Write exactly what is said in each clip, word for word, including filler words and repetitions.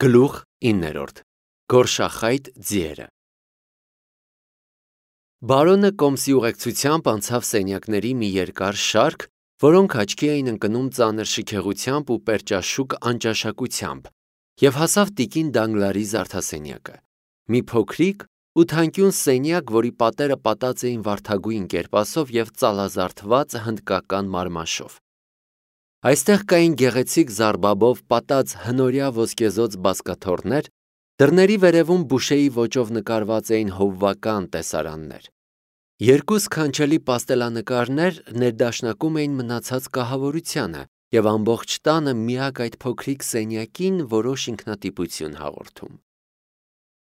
Գլուխ իններորդ Գորշախայտ ձիերը Բարոնը կոմսի ուղեկցությամբ անցավ սենյակների մի երկար շարք, որոնք աչքի էին ընկնում ծանր շքեղությամբ ու պերճաշուք անճաշակությամբ, և հասավ տիկին Դանգլարի զարդասենյակը, մի փոքրիկ ու թանկյուն սենյակ, որի պատերը պատած էին վարդագույն կերպասով և ծալազարդված հնդկական մարմաշով։ Այստեղ կային գեղեցիկ զարբաբով պատած հնորյա ոսկեզօծ բազկաթոռներ, դռների վերևում բուշեի ոճով նկարված էին հովվական տեսարաններ։ Երկու սքանչելի պաստելանկարներ ներդաշնակում էին մնացած կահավորությանը և ամբողջ տանը միակ այդ փոքրիկ սենյակին որոշ ինքնատիպություն հաղորդում։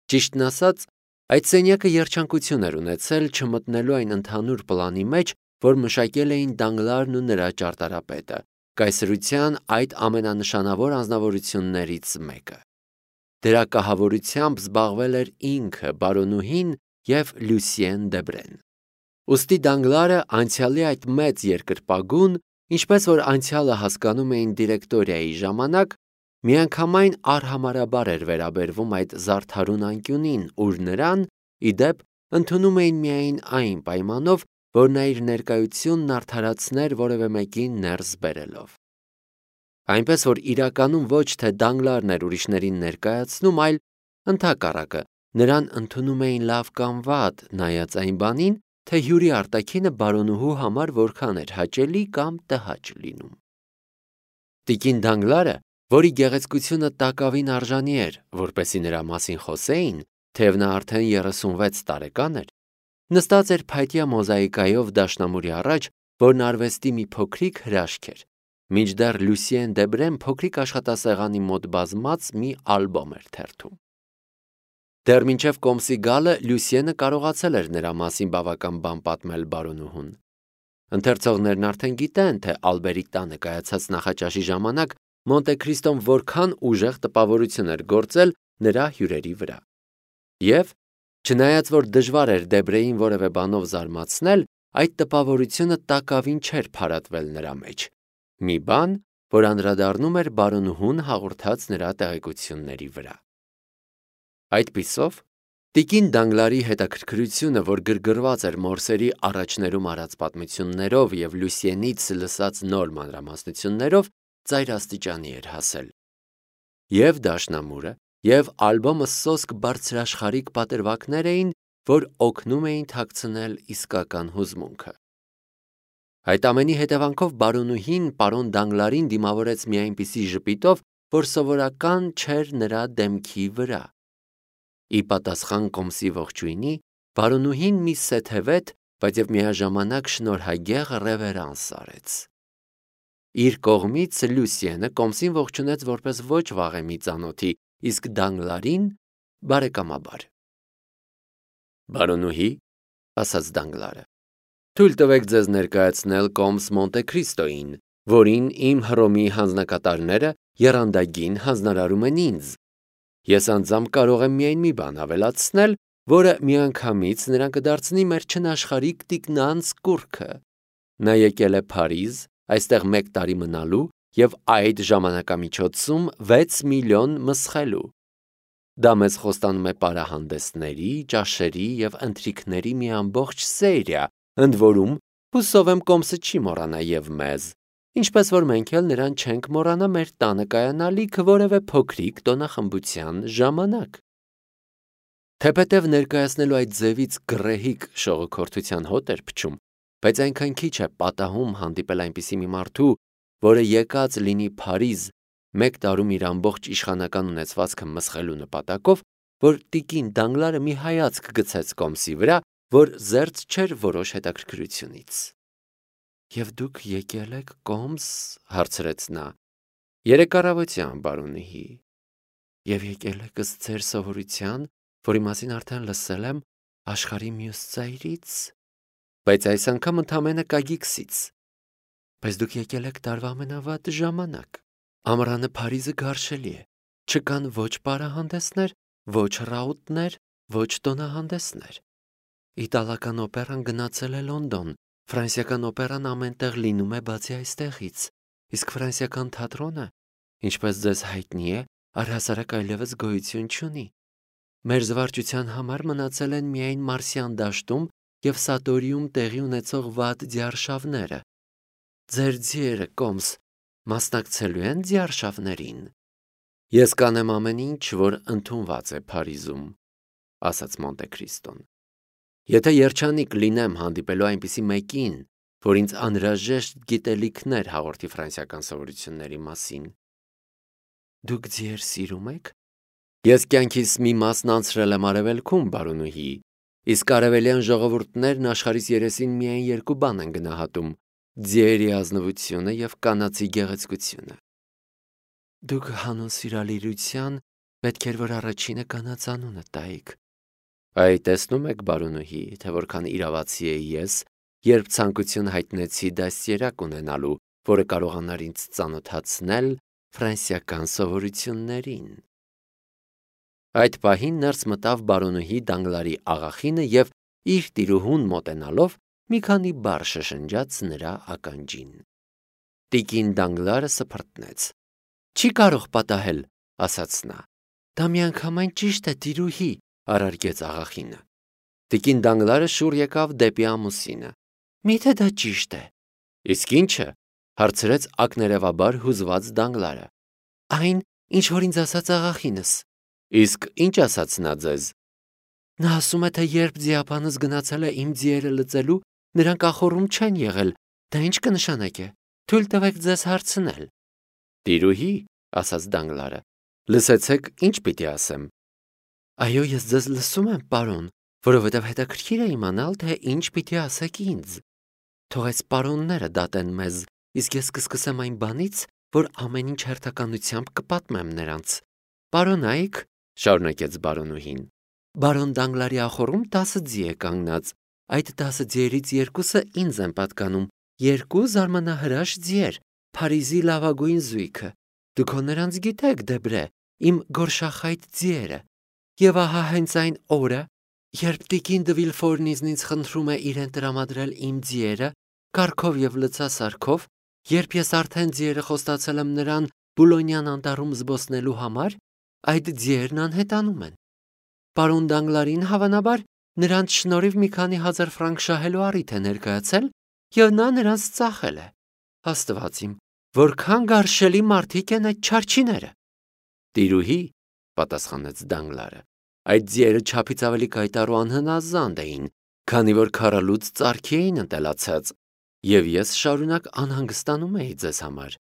Ճիշտն ասած, այդ սենյակը երջանկություն էր ունեցել չմտնելու այն ընդհանուր պլանի մեջ, որ մշակել էին Դանգլարն ու նրա ճարտարապետը, կայսրության այդ ամենանշանավոր անձնավորություններից մեկը։ Դրա կահավորությամբ զբաղվել էր ինքը, բարոնուհին և Լյուսիեն Դեբրեն։ Ուստի Դանգլարը անցյալի այդ մեծ երկրպագուն, ինչպես որ անցյալը հասկանում էին դիրեկտորիայի ժամանակ, միանգամայն արհամարհաբար էր վերաբերվում այդ զարդարուն անկյունին, ուր նրան, ի դեպ, ընդունում էին միայն այն պայմանով, որ նա իր ներկայությունն արդարացներ որևէ մեկին ներս բերելով։ Այնպես որ իրականում ոչ թե Դանգլարն էր ուրիշներին ներկայացնում, այլ ընդհակառակը, նրան ընդունում էին լավ կամ վատ, նայած այն բանին, թե հյուրի արտաքինը բարոնուհու համար որքան էր հաճելի կամ տհաճ լինում։ Տիկին Դանգլարը, որի գեղեցկությունը տակավին արժանի էր, որպեսզի նրա մասին խոսեին, թեև նա արդեն երեսունվեց տարեկան էր, նստած էր փայտյա մոզաիկայով դաշնամուրի առաջ, որն արվեստի մի փոքրիկ հրաշք էր, մինչդեռ Լյուսիեն Դեբրեն փոքրիկ աշխատասեղանի մոտ բազմած մի ալբոմ էր թերթում։ Դեռ մինչև կոմսի գալը Լյուսիենը կարողացել էր նրա մասին բավական բան պատմել բարոնուհուն։ Ընթերցողներն արդեն գիտեն, թե Ալբերի տանը կայացած նախաճաշի ժամանակ Մոնտե Քրիստոն որքան ուժեղ տպավորություն էր գործել նրա հյուրերի վրա։ Եվ, չնայած որ դժվար էր Դեբրեին որևէ բանով զարմացնել, այդ տպավորությունը տակավին չէր փարատվել նրա մեջ։ Մի բան, որ անդրադառնում էր բարոնուհուն հաղորդած նրա տեղեկությունների վրա։ Այդպիսով, տիկին Դանգլարի հետաքրքրությունը, որ գրգռված էր Մորսերի առաջներում արած պատմություններով և Լյուսիենից լսած նոր մանրամասնություններով, ծայրաստիճանի էր հասել։ Եվ դաշնամուրը, և ալբոմը սոսկ բարձրաշխարհիկ պատրվակներ էին, որ օգնում էին թաքցնել իսկական հուզմունքը։ Այդ ամենի հետևանքով բարոնուհին պարոն Դանգլարին դիմավորեց մի այնպիսի ժպիտով, որ սովորական չէր նրա դեմքի վրա։ Ի պատասխան կոմսի ողջույնի, բարոնուհին մի սեթևետ, բայց և միաժամանակ շնորհագեղ ռևերանս արեց։ Իր կողմից Լյուսիենը կոմսին ողջունեց որպես ոչ վաղեմի ծանոթի, իսկ Դանգլարին բարեկամաբար։ Բարոնուհի, ասաց Դանգլարը, թույլ տվեք ձեզ ներկայացնել կոմս Մոնտե Քրիստոյին, որին իմ Հռոմի հանձնակատարները եռանդագին հանձնարարում են ինձ։ Ես անձամբ կարող եմ միայն մի բան ավելացնել, որը միանգամից նրան կդարձնի մեր չնաշխարհիկ տիկնանց կուռքը։ Նա եկել է Փարիզ, այստեղ մեկ տարի մնալու և այդ ժամանակամիջոցում վեց միլիոն մսխելու։ Դա մեզ խոստանում է պարահանդեսների, ճաշերի և ընթրիքների մի ամբողջ սերիա, ընդ որում, հուսով եմ կոմսը չի մոռանա և մեզ, ինչպես որ մենք էլ նրան չենք մոռանա մեր տանը կայանալիք որևէ փոքրիկ տոնախմբության ժամանակ։ Թեպետև ներկայացնելու այդ ձևից գռեհիկ շողոքորթության հոտ էր փչում, բայց այնքան քիչ է պատահում հանդիպել այնպիսի մի մարդու, որը եկած լինի Փարիզ մեկ տարում իր ամբողջ իշխանական ունեցվածքը մսխելու նպատակով, որ տիկին Դանգլարը մի հայացք գցեց կոմսի վրա, որ զերծ չէր որոշ հետաքրքրությունից։ Եվ դուք եկել եք կոմս, հարցրեց նա։ Երեկ առավոտյան, բարոնուհի։ Եվ եկել եք ըստ ձեր սովորության, որի մասին արդեն լսել եմ աշխարհի մյուս ծայրից, բայց այս անգամ ընդամենը Կագիքսից։ Բայց դուք եկել եք տարվա ամենավատ ժամանակ։ Ամռանը Փարիզը գարշելի է, չկան ոչ պարահանդեսներ, ոչ ռաուտներ, ոչ տոնահանդեսներ։ Իտալական օպերան գնացել է Լոնդոն, ֆրանսիական օպերան ամենտեղ լինում է բացի այստեղից, իսկ ֆրանսիական թատրոնը, ինչպես ձեզ հայտնի է, առհասարակ այլևս գոյություն չունի։ Մեր զվարճության համար մնացել են միայն Մարսյան դաշտում և Սատորիում տեղի ունեցող վատ ձիարշավները։ Ձեր ձիերը, Կոմս, մասնակցելու են ձիարշավներին։ Ես կանեմ ամեն ինչ, որ ընդունված է Փարիզում, ասաց Մոնտե Քրիստոն։ Եթե երջանիկ լինեմ հանդիպելու այնպիսի մեկին, որ ինձ անհրաժեշտ գիտելիքներ հաղորդի ֆրանսիական սովորությունների մասին։ Դուք ձիեր սիրում եք։ Ես կյանքիս մի մասն անցրել եմ Արևելքում, բարոնուհի, իսկ արևելյան ժողովուրդներն աշխարհիս երեսին միայն երկու բան են գնահատում՝ ձիերի ազնվությունը և կանացի գեղեցկությունը։ Դուք հանուն սիրալիրության պետք էր, որ առաջինը կանանց անունը տայիք։ Այ տեսնում եք, բարոնուհի, թե որքան իրավացի էի ես, երբ ցանկություն հայտնեցի դաստիարակ ունենալու, որը կարողանար ինձ ծանոթացնել ֆրանսիական սովորություններին։ Այդ պահին ներս մտավ բարոնուհի Դանգլարի աղախինը և իր տիրուհուն մոտենալով մի քանի բառ շշնջաց նրա ականջին։ Տիկին Դանգլարը սփռտնեց։ Չի կարող պատահել, ասաց նա։ Դա միանգամայն ճիշտ է, տիրուհի, առարկեց աղախինը։ Տիկին Դանգլարը շուռ եկավ դեպի ամուսինը։ Միթե դա ճիշտ է։ Իսկ ի՞նչը, հարցրեց ակներևաբար հուզված Դանգլարը։ Այն, ինչ որ ինձ ասաց աղախինս։ Իսկ ի՞նչ ասաց նա ձեզ։ Նա ասում է, թե երբ ձիապանս գնացել է իմ ձիերը լծելու, նրանք ախոռում չեն եղել։ Դա ինչ կնշանակե։ Թույլ տվեք ձեզ հարցնել։ Տիրուհի, ասաց Դանգլարը, լսեցեք, ինչ պիտի ասեմ։ Այո, ես ձեզ լսում եմ, պարոն, որովհետև հետաքրքիր է իմանալ, թե ինչ պիտի ասեք ինձ։ Թող այս պարոնները դատեն մեզ, իսկ ես կսկսեմ այն բանից, որ ամեն ինչ հերթականությամբ կպատմեմ նրանց։ Պարոնայք, շարունակեց բարոնուհին, բարոն Դանգլարի ախոռում տասը ձի է կանգնած։ Այդ տասը ձիերից երկուսը ինձ են պատկանում, երկու զարմանահրաշ ձիեր, Փարիզի լավագույն զույգը։ Դուք հո նրանց գիտեք, Դեբրե, իմ գորշախայտ ձիերը։ Եվ ահա հենց այն օրը, երբ տիկին դը Վիլֆորն ինձնից խնդրում է իրեն տրամադրել իմ ձիերը, կառքով և լցասարքով, երբ ես արդեն ձիերը խոստացել եմ նրան Բուլոնյան անտառում զբոսնելու համար, այդ ձիերն անհետանում են։ Պարոն Դանգլարին, հավանաբար, նրանց շնորհիվ մի քանի հազար ֆրանկ շահելու առիթ է ներկայացել, և նա նրանց ծախել է։ Աստված իմ, որքան գարշելի մարդիկ են այդ չարչիները։ Տիրուհի, պատասխանեց Դանգլարը, այդ ձիերը չափից ավելի կայտառ ու անհնազանդ էին, քանի որ քարալուց ծարքի էին ընտելացած, և ես շարունակ անհանգստանում էի ձեզ համար։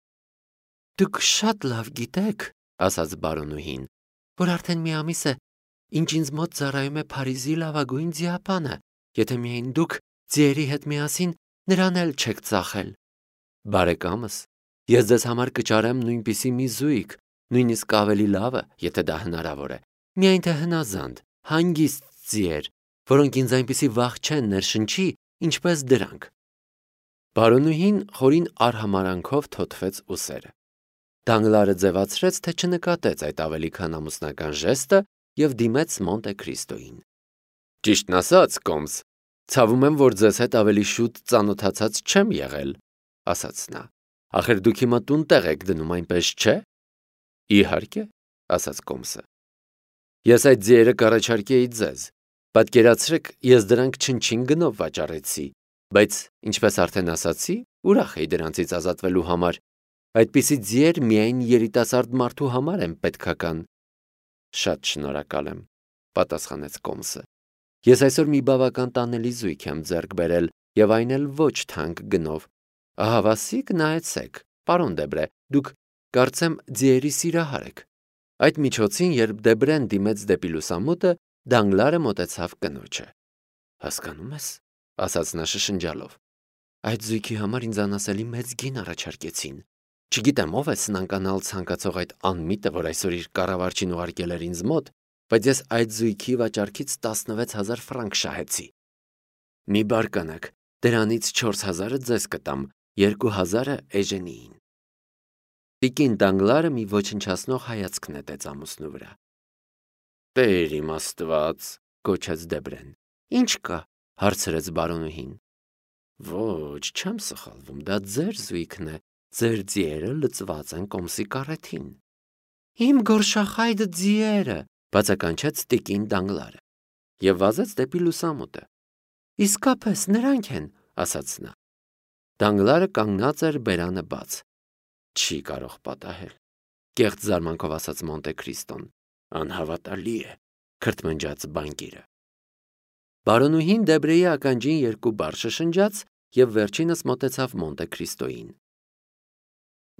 Դուք շատ լավ գիտեք, ասաց բարոնուհին, որ արդեն մի ամիս է, ինչ ինձ մոտ ծառայում է Փարիզի լավագույն ձիապանը, եթե միայն դուք ձիերի հետ միասին նրան էլ չեք ծախել։ Բարեկամս, ես ձեզ համար կճարեմ նույնպիսի մի զույգ, նույնիսկ ավելի լավը, եթե դա հնարավոր է, միայն թե հնազանդ, հանգիստ ձիեր, որոնք ինձ այնպիսի վախ չեն ներշնչի, ինչպես դրանք։ Բարոնուհին խորին արհամարանքով թոթվեց ուսերը։ Դանգլարը ձևացրեց, թե չնկատեց այդ ավելի քան ամուսնական ժեստը և դիմեց Մոնտե Քրիստոյին։ Ճիշտն ասած, Կոմս, ցավում եմ, որ ձեզ հետ ավելի շուտ ծանոթացած չեմ եղել, ասաց նա։ Ախր դուք հիմա տուն տեղ եք դնում, այնպես չէ։ Իհարկե, ասաց Կոմսը։ Ես այդ ձիերը կառաջարկեի ձեզ։ Պատկերացրեք, ես դրանք չնչին գնով վաճառեցի, բայց, ինչպես արդեն ասացի, ուրախ էի դրանցից ազատվելու համար։ Այդպիսի ձիեր միայն երիտասարդ մարդու համար են պետքական։ Շատ շնորհակալ եմ, պատասխանեց Կոմսը։ Ես այսօր մի բավական տանելի զույգ եմ ձեռք բերել, և այն էլ ոչ թանկ գնով։ Ահավասիկ նայեցեք, պարոն Դեբրե, դուք կարծեմ ձիերի սիրահար եք։ Այդ միջոցին, երբ Դեբրեն դիմեց դեպի լուսամուտը, Դանգլարը մոտեցավ կնոջը։ Հասկանում ես, ասաց նա շշնջալով։ Այդ զույգի համար ինձ անասելի մեծ գին առաջարկեցին։ Չգիտեմ ով է սնանկանալ ցանկացող այդ անմիտը, որ այսօր իր կառավարչին ուղարկել էր ինձ մոտ, բայց ես այդ զույգի վաճառքից տասնվեց հազար ֆրանկ շահեցի։ Մի բարկանաք, դրանից չորս հազարը ձեզ կտամ, երկու հազարը Էժենիին։ Տիկին Դանգլարը մի ոչնչացնող հայացք նետեց ամուսնու վրա։ Տեր իմ Աստված, գոչեց Դեբրեն։ Ինչ կա, հարցրեց բարոնուհին։ Ոչ, չեմ սխալվում, դա ձեր զույգն է, ձեր ձիերը լծված են Կոմսի կառեթին։ Իմ գորշախայտ ձիերը, բացականչեց տիկին Դանգլարը և վազեց դեպի լուսամուտը։ Իսկապես նրանք են, ասաց նա։ Դանգլարը կանգնած էր բերանը բաց։ Չի կարող պատահել, կեղծ զարմանքով ասաց Մոնտե Քրիստոն։ Անհավատալի է, քրթմնջաց բանկիրը։ Բարոնուհին Դեբրեի ականջին երկու բառ շշնջաց և վերջինս մոտեցավ Մոնտե Քրիստոյին։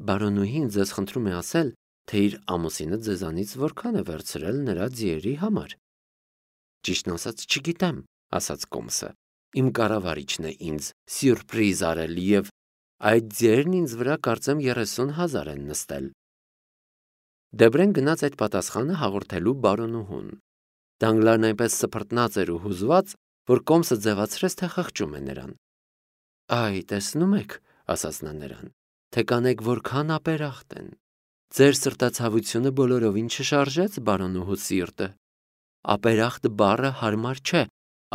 Բարոնուհին ձեզ խնդրում է ասել, թե իր ամուսինը ձեզանից որքան է վերցրել նրա ձիերի համար։ Ճիշտն ասած չգիտեմ, ասաց Կոմսը։ Իմ կառավարիչն է ինձ սյուրպրիզ արել և այդ ձիերն ինձ վրա կարծեմ երեսուն հազար են նստել։ Դեբրեն գնաց այդ պատասխանը հաղորդելու բարոնուհուն։ Դանգլարն այնպես սփռտնած էր ու հուզված, որ Կոմսը ձևացրեց, թե խղճում է նրան։ Այ, տեսնում եք, ասաց նա նրան, թե կանեք որքան ապերախտ են։ Ձեր սրտացավությունը բոլորովին չշարժեց բարոնուհու սիրտը։ Ապերախտ բառը հարմար չէ,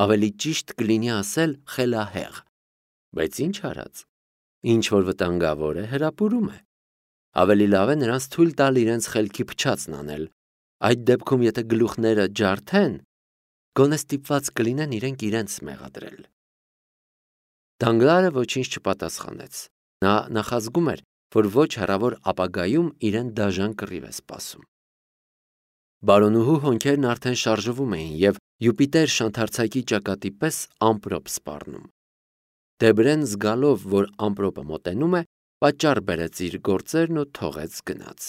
ավելի ճիշտ կլինի ասել խելահեղ։ Բայց ինչ արած, ինչ որ վտանգավոր է, հրապուրում է։ Ավելի լավ է նրանց թույլ տալ իրենց խելքի փչացն անել։ Այդ դեպքում, եթե գլուխները ջարդեն, գոնե ստիպված կլինեն իրենք իրենց մեղադրել։ Դանգլարը ոչինչ չպատասխանեց։ Նա նախազգում էր, որ ոչ հեռավոր ապագայում իրեն դաժան կռիվ է սպասում։ Բարոնուհու հոնքերն արդեն շարժվում էին և Յուպիտեր շանթարցակի ճակատի պես ամպրոպ սպառնում։ Դեբրեն զգալով, որ ամպրոպը մոտենում է, պատճառ բերեց իր գործերն ու թողեց գնաց։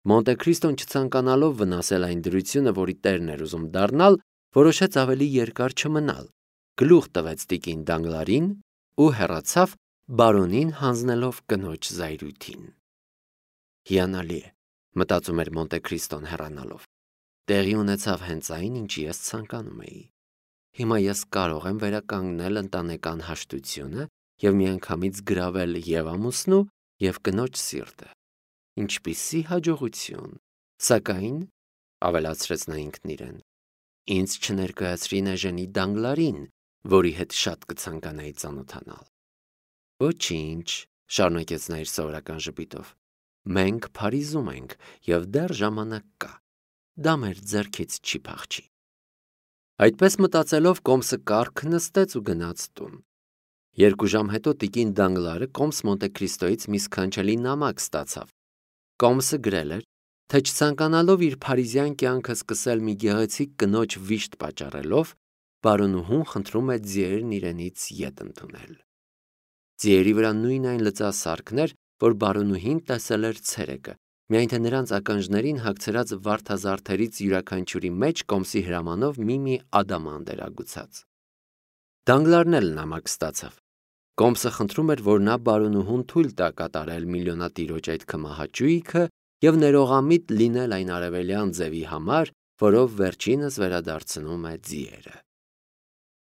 Մոնտե Քրիստոն չցանկանալով վնասել այն դրությունը, որի տերն էր ուզում դառնալ, որոշեց ավելի երկար չմնալ, գլուխ տվեց տիկին Դանգլարին ու հեռացավ, բարոնին հանձնելով կնոջ զայրույթին։ Հիանալի է, մտածում էր Մոնտե Քրիստոն հեռանալով։ Տեղի ունեցավ հենց այն, ինչ ես ցանկանում էի։ Հիմա ես կարող եմ վերականգնել ընտանեկան հաշտությունը և միանգամից գրավել և ամուսնու, և կնոջ սիրտը։ Ինչպիսի հաջողություն։ Սակայն, ավելացրեց նա ինքն իրեն, ինձ չներկայացրին Էժենի Դանգլարին, որի հետ շատ կցանկանայի ծանոթանալ։ Ոչինչ, շարունակեց նա իր սովորական ժպիտով։ Մենք Փարիզում ենք և դեռ ժամանակ կա։ Դա մեր ձեռքից չի փախչի։ Այդպես մտածելով Կոմսը կառք նստեց ու գնաց տուն։ Երկու ժամ հետո տիկին Դանգլարը Կոմս Մոնտե Քրիստոյից մի սքանչելի նամակ ստացավ։ Կոմսը գրել էր, թե չցանկանալով իր փարիզյան կյանքը սկսել մի գեղեցիկ կնոջ վիշտ պատճառելով, բարոնուհուն խնդրում է ձիերն իրենից ետ ընդունել։ Ձիերի վրա նույն այն լծասարքն էր, որ բարոնուհին տեսել էր ցերեկը, միայն թե նրանց ականջներին հագցրած վարդազարդերից յուրաքանչյուրի մեջ Կոմսի հրամանով մի-մի ադամանդ էր ագուցած։ Դանգլարն էլ նամակ ստացավ։ Կոմսը խնդրում էր, որ նա բարոնուհուն թույլ տա կատարել միլիոնատիրոջ այդ քմահաճույքը և ներողամիտ լինել այն արևելյան ձևի համար, որով վերջինս վերադարձնում է ձիերը։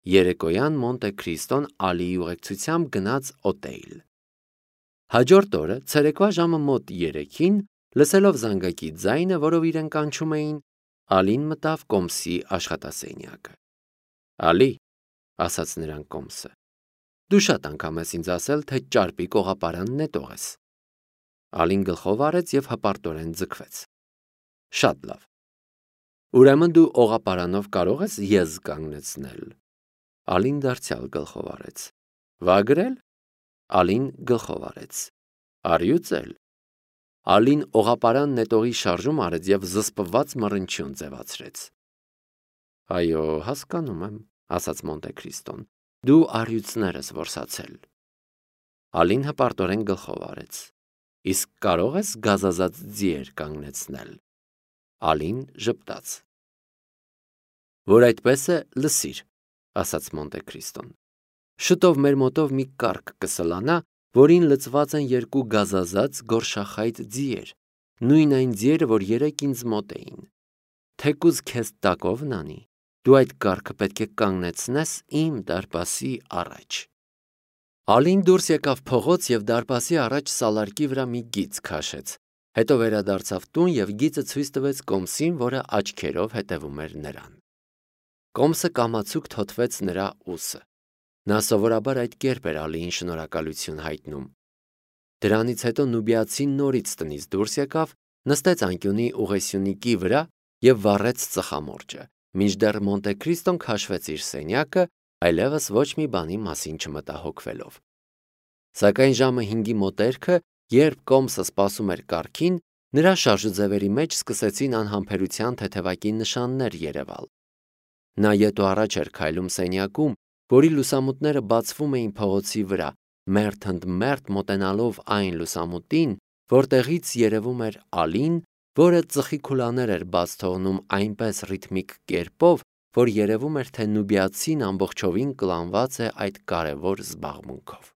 Երեկոյան Մոնտե Քրիստոն Ալիի ուղեկցությամբ գնաց օտեյլ։ Հաջորդ օրը ցերեկվա ժամը մոտ երեքին, լսելով զանգակի ձայնը, որով իրեն կանչում էին, Ալին մտավ Կոմսի աշխատասենյակը։ Ալի, ասաց նրան Կոմսը, դու շատ անգամ ես ինձ ասել, թե ճարպի կողապարանն նետող ես։ Ալին գլխով արեց և հպարտորեն ձգվեց։ Շատ լավ։ Ուրեմն դու օղապարանով կարող ես եզ կանգնեցնել։ Ալին դարձյալ գլխով արեց։ Վագրել։ Ալին գլխով արեց։ Արյուծել։ Ալին օղապարան նետողի շարժում արեց և զսպված մռնչյուն ձևացրեց։ Այո, հասկանում եմ, ասաց Մոնտե Քրիստոն, դու առյուծներ ես որսացել։ Ալին հպարտորեն գլխով արեց։ Իսկ կարող ես գազազած ձիեր կանգնեցնել։ Ալին ժպտաց։ Որ այդպես է, լսիր, ասաց Մոնտե Քրիստոն։ Շուտով մեր մոտով մի կառք կսլանա, որին լցված են երկու գազազած գորշախայտ ձիեր, նույն այն ձիերը, որ երեկ ինձ մոտ էին։ Թեկուզ քեզ տակով նանի, դու այդ կառքը պետք է կանգնեցնես իմ դարպասի առաջ։ Ալին դուրս եկավ փողոց և դարպասի առաջ սալարկի վրա մի գիծ քաշեց, հետո վերադարձավ տուն և գիծը ցույց տվեց Կոմսին, որը աչքերով հետևում էր նրան։ Կոմսը կամացուկ թոթվեց նրա ուսը։ Նա սովորաբար այդ կերպ էր Ալիին շնորհակալություն հայտնում։ Դրանից հետո նուբիացին նորից տնից դուրս եկավ նստեց անկյունի ուղեսյունիկի վրա և վառեց ծխամորճը, մինչդեռ Մոնտե Քրիստոն քաշվեց իր սենյակը, այլևս ոչ մի բանի մասին չմտահոգվելով։ Սակայն ժամը հինգի մոտերքը, երբ Կոմսը սպասում էր կառքին, նրա շարժուձևերի մեջ սկսեցին անհամբերության թեթևակի նշաններ երևալ։ Նա ետ ու առաջ էր քայլում սենյակում, որի լուսամուտները բացվում էին փողոցի վրա, մերթ ընդ մերթ մոտենալով այն լուսամուտին, որտեղից երևում էր Ալին, որը ծխի քուլաներ էր բաց թողնում այնպես ռիթմիկ կերպով, որ երևում էր, թե նուբիացին ամբողջովին կլանված է այդ կարևոր զբաղմունքով։